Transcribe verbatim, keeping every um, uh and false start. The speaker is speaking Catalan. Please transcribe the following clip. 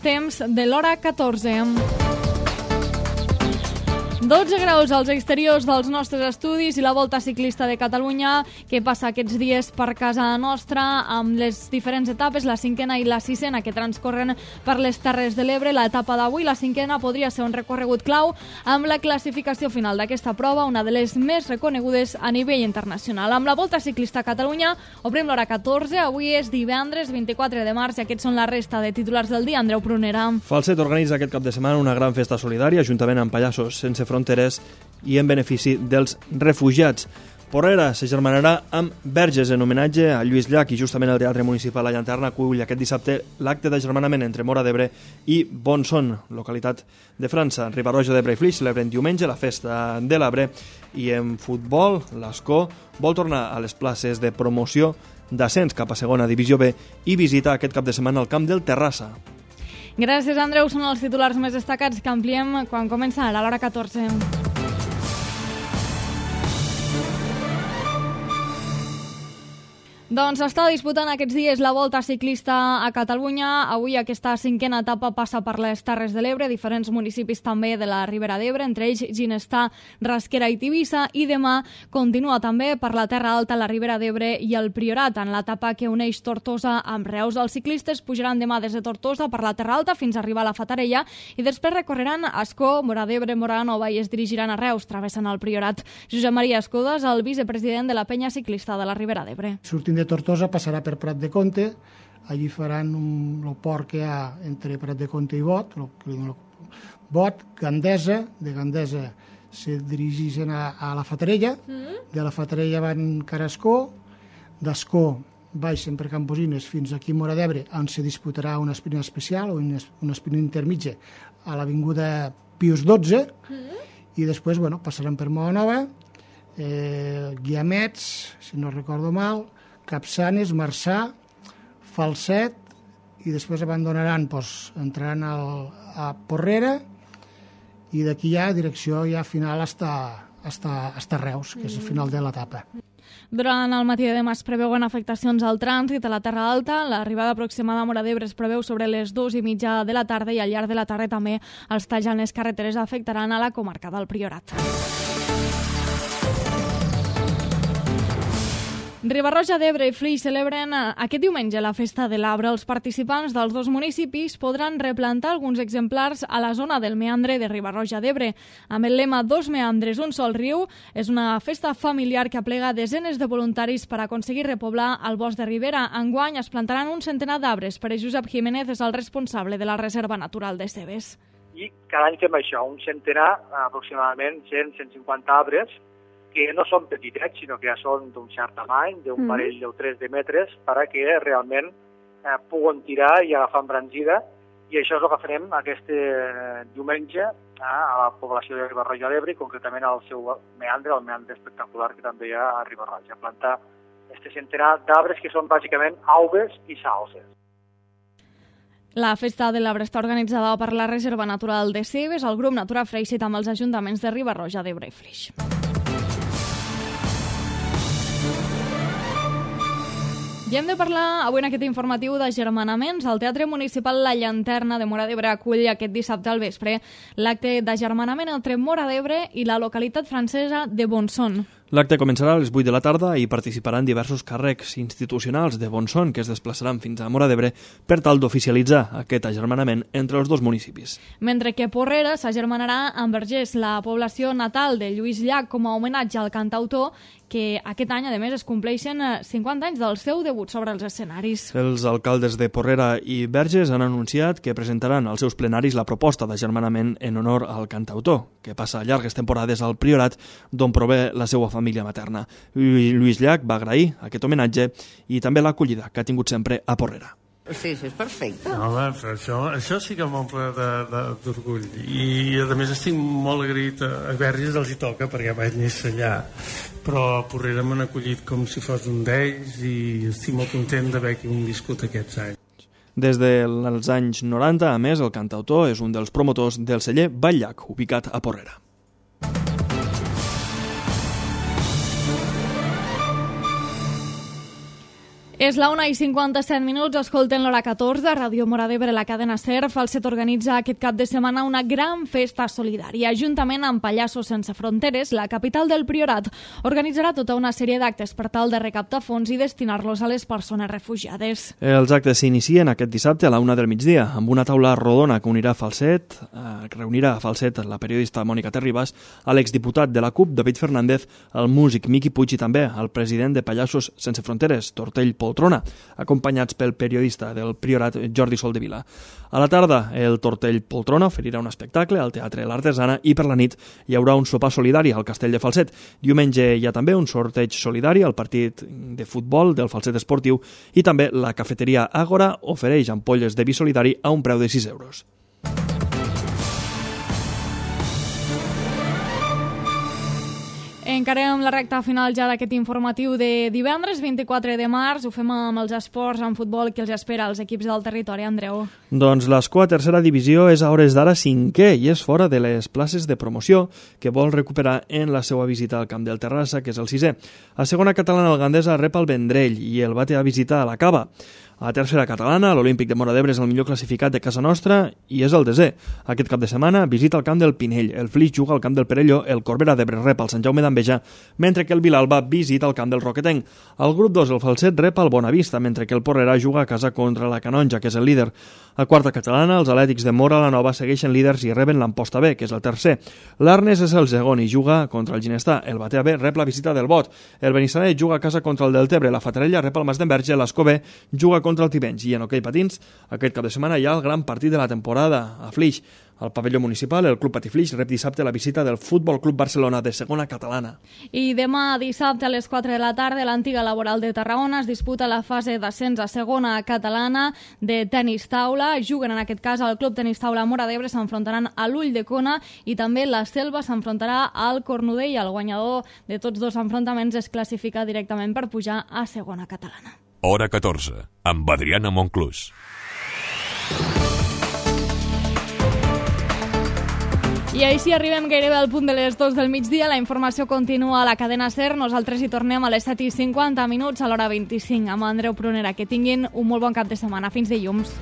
temps de l'hora catorze. dotze graus als exteriors dels nostres estudis i la Volta Ciclista de Catalunya que passa aquests dies per casa nostra amb les diferents etapes, la cinquena i la sisena que transcorren per les Terres de l'Ebre. L'etapa d'avui, la cinquena, podria ser un recorregut clau amb la classificació final d'aquesta prova, una de les més reconegudes a nivell internacional. Amb la Volta Ciclista a Catalunya obrim l'hora catorze, avui és divendres vint-i-quatre de març i aquests són la resta de titulars del dia. Andreu Prunera. Falset organitza aquest cap de setmana una gran festa solidària juntament amb Pallassos Sense Fronteres i en benefici dels refugiats. Porrera s'agermanarà amb Verges en homenatge a Lluís Llach i justament el Teatre Municipal La Llanterna acull aquest dissabte l'acte d'agermanament entre Móra d'Ebre i Bonson, localitat de França. Riba-roja d'Ebre i Flix celebren diumenge la festa de l'Arbre i en futbol l'Escó vol tornar a les places de promoció d'ascens cap a segona divisió B i visita aquest cap de setmana el camp del Terrassa. Gràcies, Andreu. Són els titulars més destacats que ampliem quan comença a l'hora catorze. Doncs està disputant aquests dies la Volta Ciclista a Catalunya. Avui aquesta cinquena etapa passa per les Terres de l'Ebre, diferents municipis també de la Ribera d'Ebre, entre ells Ginestar, Rasquera i Tivissa, i demà continua també per la Terra Alta, la Ribera d'Ebre i el Priorat, en l'etapa que uneix Tortosa amb Reus. Els ciclistes pujaran demà des de Tortosa per la Terra Alta fins a arribar a la Fatarella i després recorreran Ascó, Móra d'Ebre, Móra Nova i es dirigiran a Reus, travessant el Priorat. Josep Maria Escodas, el vicepresident de la Penya Ciclista de la Ribera d'Ebre. Sortint de Tortosa passarà per Prat de Comte, allí faran un, el port que hi ha entre Prat de Comte i Bot, el, el, Bot, Gandesa, de Gandesa se dirigeixen a, a la Fatarella, mm. de la Fatarella van cara a Ascó, d'Ascó baixen per Camposines fins aquí a Móra d'Ebre, on se disputarà una sprint especial o una sprint intermitja a l'avinguda Pius dotze, mm. i després bueno, passaran per Móra Nova, eh, Guiamets, si no recordo mal, Capçanes, Marçà, Falset, i després abandonaran, doncs, entraran al, a Porrera i d'aquí ja direcció ja final hasta, hasta, hasta Reus, que és el final de l'etapa. Durant el matí de demà es preveuen afectacions al trànsit a la Terra Alta. L'arribada aproximada a Móra d'Ebre es preveu sobre les dues i mitja de la tarda i al llarg de la tarda també els talls en les carreteres afectaran a la comarca del Priorat. Riba-roja d'Ebre i Flix celebren aquest diumenge la Festa de l'Arbre. Els participants dels dos municipis podran replantar alguns exemplars a la zona del meandre de Riba-roja d'Ebre. Amb el lema Dos meandres, un sol riu, és una festa familiar que aplega desenes de voluntaris per aconseguir repoblar el bosc de Ribera. Enguany es plantaran un centenar d'arbres. Per Josep Jiménez és el responsable de la Reserva Natural de Cebes. I cada any fem això, un centenar, aproximadament cent a cent cinquanta arbres, que no són petitets, sinó que ja són d'un cert tamany, d'un mm. parell o tres de metres, perquè realment eh, puguen tirar i agafar embranzida, i això és el que farem aquest eh, diumenge eh, a la població de Riba-roja d'Ebre, concretament al seu meandre, el meandre espectacular que també hi ha a Riba-roja. Plantar este centenar d'arbres que són bàsicament auves i salses. La Festa de l'Arbre està organitzada per la Reserva Natural de Cebes, el grup Natura Freixit amb els ajuntaments de Riba-roja d'Ebre i Flix. I hem de parlar avui en aquest informatiu d'agermanaments. El Teatre Municipal La Llanterna de Móra d'Ebre acull aquest dissabte al vespre l'acte d'agermanament entre Móra d'Ebre i la localitat francesa de Bonson. L'acte començarà a les vuit de la tarda i participaran diversos càrrecs institucionals de Bonson que es desplaçaran fins a Móra d'Ebre per tal d'oficialitzar aquest agermanament entre els dos municipis. Mentre que Porrera s'agermanarà amb Verges, la població natal de Lluís Llach, com a homenatge al cantautor, que aquest any, a més, es compleixen cinquanta anys del seu debut sobre els escenaris. Els alcaldes de Porrera i Verges han anunciat que presentaran als seus plenaris la proposta d'agermanament en honor al cantautor, que passa llargues temporades al Priorat, d'on prové la seva família materna. Lluís Llach va agrair aquest homenatge i també l'acollida que ha tingut sempre a Porrera. Sí, sí, és perfecte. Home, però això, això sí que m'omple d'orgull. I, a més, estic molt agraït a, a Verges, els hi toca, perquè vaig néixer allà. Però a Porrera m'han acollit com si fos un d'ells i estic molt content d'haver viscut aquests anys. Des dels anys noranta, a més, el cantautor és un dels promotors del celler Vall-llac, ubicat a Porrera. És la una i cinquanta-set minuts, escolten l'hora catorze, Ràdio Móra d'Ebre, la cadena SER. Falset organitza aquest cap de setmana una gran festa solidària. Juntament amb Pallassos Sense Fronteres, la capital del Priorat organitzarà tota una sèrie d'actes per tal de recaptar fons i destinar-los a les persones refugiades. Els actes s'inicien aquest dissabte a la una del migdia, amb una taula rodona que unirà Falset, eh, reunirà a Falset la periodista Mònica Terribas, a l'exdiputat de la CUP, David Fernández, el músic Miqui Puig i també el president de Pallassos Sense Fronteres, Tortell Poltrona, acompanyats pel periodista del Priorat, Jordi Soldevila. A la tarda, el Tortell Poltrona oferirà un espectacle al Teatre L'Artesana i per la nit hi haurà un sopar solidari al Castell de Falset. Diumenge hi ha també un sorteig solidari al partit de futbol del Falset Esportiu i també la cafeteria Àgora ofereix ampolles de vi solidari a un preu de sis euros. Encarem la recta final ja d'aquest informatiu de divendres vint-i-quatre de març. Ho fem amb els esports, amb futbol, que els espera als equips del territori, Andreu. Doncs l'Escó a tercera divisió és a hores d'ara cinquè i és fora de les places de promoció que vol recuperar en la seva visita al camp del Terrassa, que és el sisè. A segona catalana el Gandesa rep el Vendrell i el bate a visita a la Cava. A tercera catalana, l'Olímpic de Móra d'Ebre és el millor classificat de casa nostra i és el desè. Aquest cap de setmana visita el camp del Pinell, el Flix juga al camp del Perelló, el Corbera d'Ebre rep el Sant Jaume d'Enveja, mentre que el Vilalba visita el camp del Roquetenc. Al grup dos, el Falset rep el Bonavista, mentre que el Porrera juga a casa contra la Canonja, que és el líder. A quarta catalana, els Atlètics de Móra la Nova segueixen líders i reben l'Amposta B, que és el tercer. L'Arnes és el segon i juga contra el Ginestà. El Batea B rep la visita del Bot. El Benissanet juga a casa contra el Deltebre. La Fatarella rep el Mas d'Enverge. L'Escó B juga contra el Tivenys. I en hoquei patins, aquest cap de setmana hi ha el gran partit de la temporada a Flix. Al pavelló municipal, el Club Patí Flix rep dissabte la visita del Futbol Club Barcelona de segona catalana. I demà dissabte a les quatre de la tarda, l'antiga Laboral de Tarragona es disputa la fase d'ascens a segona catalana de tenis taula. Juguen en aquest cas al Club Tenis Taula Móra d'Ebre, s'enfrontaran a l'Ull de Cona i també la Selva s'enfrontarà al Cornudella. El guanyador de tots dos enfrontaments es classifica directament per pujar a segona catalana. Hora catorze, amb Adriana Monclús. I així arribem gairebé al punt de les dos del migdia. La informació continua a la cadena SER. Nosaltres hi tornem a les set i cinquanta minuts a l'hora vint-i-cinc amb Andreu Prunera. Que tinguin un molt bon cap de setmana. Fins dilluns.